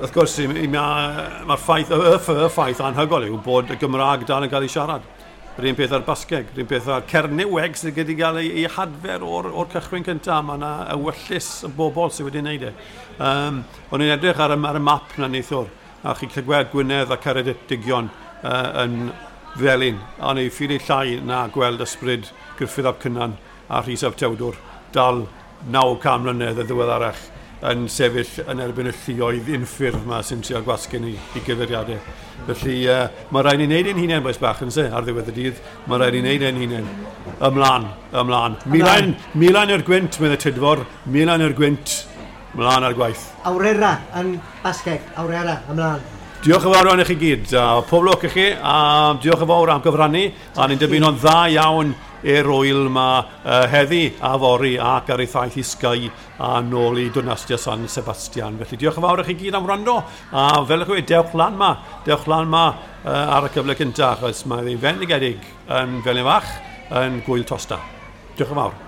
wrth gwrs, mae'r ma ffaith, y, y, y ffaith anhygoel yw bod y Gymraeg dal yn cael ei siarad. Yr un peth ar Basgeg, yr un peth ar Cernyweg sydd wedi cael ei, ei hadfer o'r, or cychwyn cyntaf. Mae yna ewyllys y bobl sydd wedi wneud e. Um, o'n i'n edrych ar y, ar y map na neithiwr, a chi'n cael gweld Gwynedd a Ceredigion uh, yn felyn. A o'n i'n ffili llai na gweld ysbryd Gruffydd ap Cynan a Rhys ap Tewdwr dal naw can mlynedd yn ddiweddarach yn sefyll yn erbyn y lluoedd unffurf yma sy'n trio gwasgu ni i gyfeiriadau. Felly uh, mae rhaid ni wneud ein hunain, bois bach, yn se, ar ddiwedd y dydd. Mae rhaid ni wneud ein hunain. Ymlaen, ymlaen. Milain, milain i'r gwynt, medde Tudfor. Milain i'r gwynt, ymlaen ar gwaith. Aurrera yn Basgeg, aurrera, ymlaen. Diolch yn fawr iawn i chi gyd. A pob lwc i chi, a diolch yn fawr am gyfrannu. A ni'n dymuno'n dda iawn i'r wyl yma uh, heddi a fory ac ar ei thaith i Sky a nôl i Donostia San Sebastian. Felly diolch yn fawr i chi gyd am wrando. A fel ych chi, dewch lan ma. Dewch lan ma uh, ar y cyfle cyntaf, achos mae ddi'n fendigedig yn Felin Fach yn Gwyl Tosta. Diolch yn fawr.